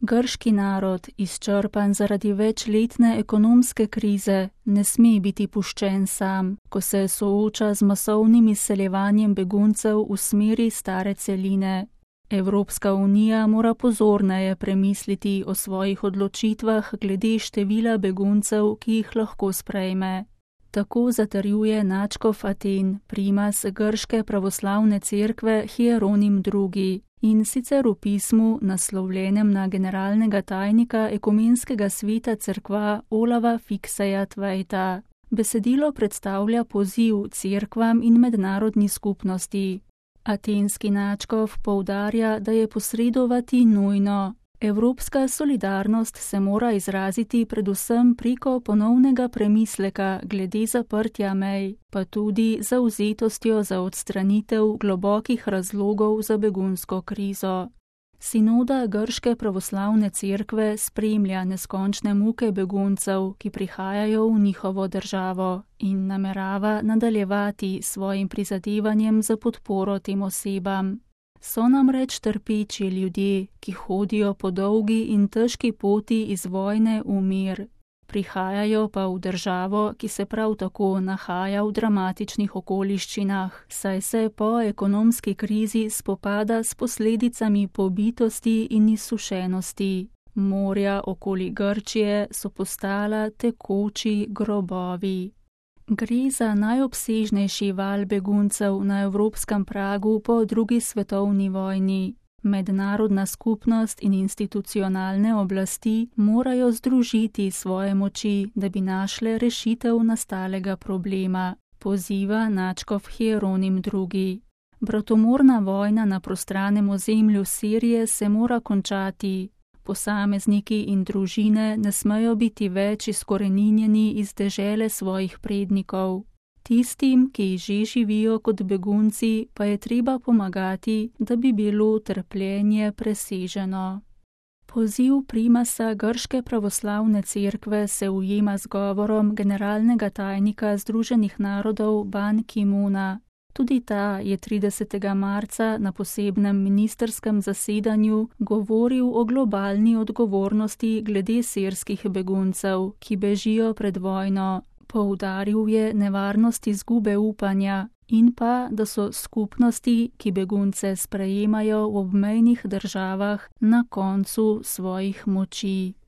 Grški narod, izčrpan zaradi večletne ekonomske krize, ne sme biti puščen sam, ko se sooča z masovnim izseljevanjem beguncev v smeri stare celine. Evropska unija mora pozorneje premisliti o svojih odločitvah glede števila beguncev, ki jih lahko sprejme. Tako zatrjuje nadškof Aten, primas grške pravoslavne cerkve Hieronim II. In sicer v pismu, naslovljenem na generalnega tajnika ekumenskega sveta cerkva Olava Fikseja Tveita. Besedilo predstavlja poziv cerkvam in mednarodni skupnosti. Atenski nadškof poudarja, da je posredovati nujno. Evropska solidarnost se mora izraziti predvsem preko ponovnega premisleka glede zaprtja mej, pa tudi zavzetostjo za odstranitev globokih razlogov za begunsko krizo. Sinoda grške pravoslavne cerkve spremlja neskončne muke beguncev, ki prihajajo v njihovo državo, in namerava nadaljevati svojim prizadevanjem za podporo tem osebam. So namreč trpeči ljudje, ki hodijo po dolgi in težki poti iz vojne v mir. Prihajajo pa v državo, ki se prav tako nahaja v dramatičnih okoliščinah, saj se po ekonomski krizi spopada s posledicami pobitosti in izsušenosti. Morja okoli Grčije so postala tekoči grobovi. Gre za najobsežnejši val beguncev na evropskem pragu po drugi svetovni vojni. Mednarodna skupnost in institucionalne oblasti morajo združiti svoje moči, da bi našle rešitev nastalega problema, poziva nadškof Hieronim II. Bratomorna vojna na prostranem ozemlju Sirije se mora končati. Posamezniki in družine ne smejo biti več izkoreninjeni iz dežele svojih prednikov. Tistim, ki že živijo kot begunci, pa je treba pomagati, da bi bilo trpljenje preseženo. Poziv primasa grške pravoslavne cerkve se ujema z govorom generalnega tajnika Združenih narodov Ban Ki-moona. Tudi ta je 30. marca na posebnem ministrskem zasedanju govoril o globalni odgovornosti glede sirskih beguncev, ki bežijo pred vojno. Poudaril je nevarnost izgube upanja in pa, da so skupnosti, ki begunce sprejemajo v obmejnih državah, na koncu svojih moči.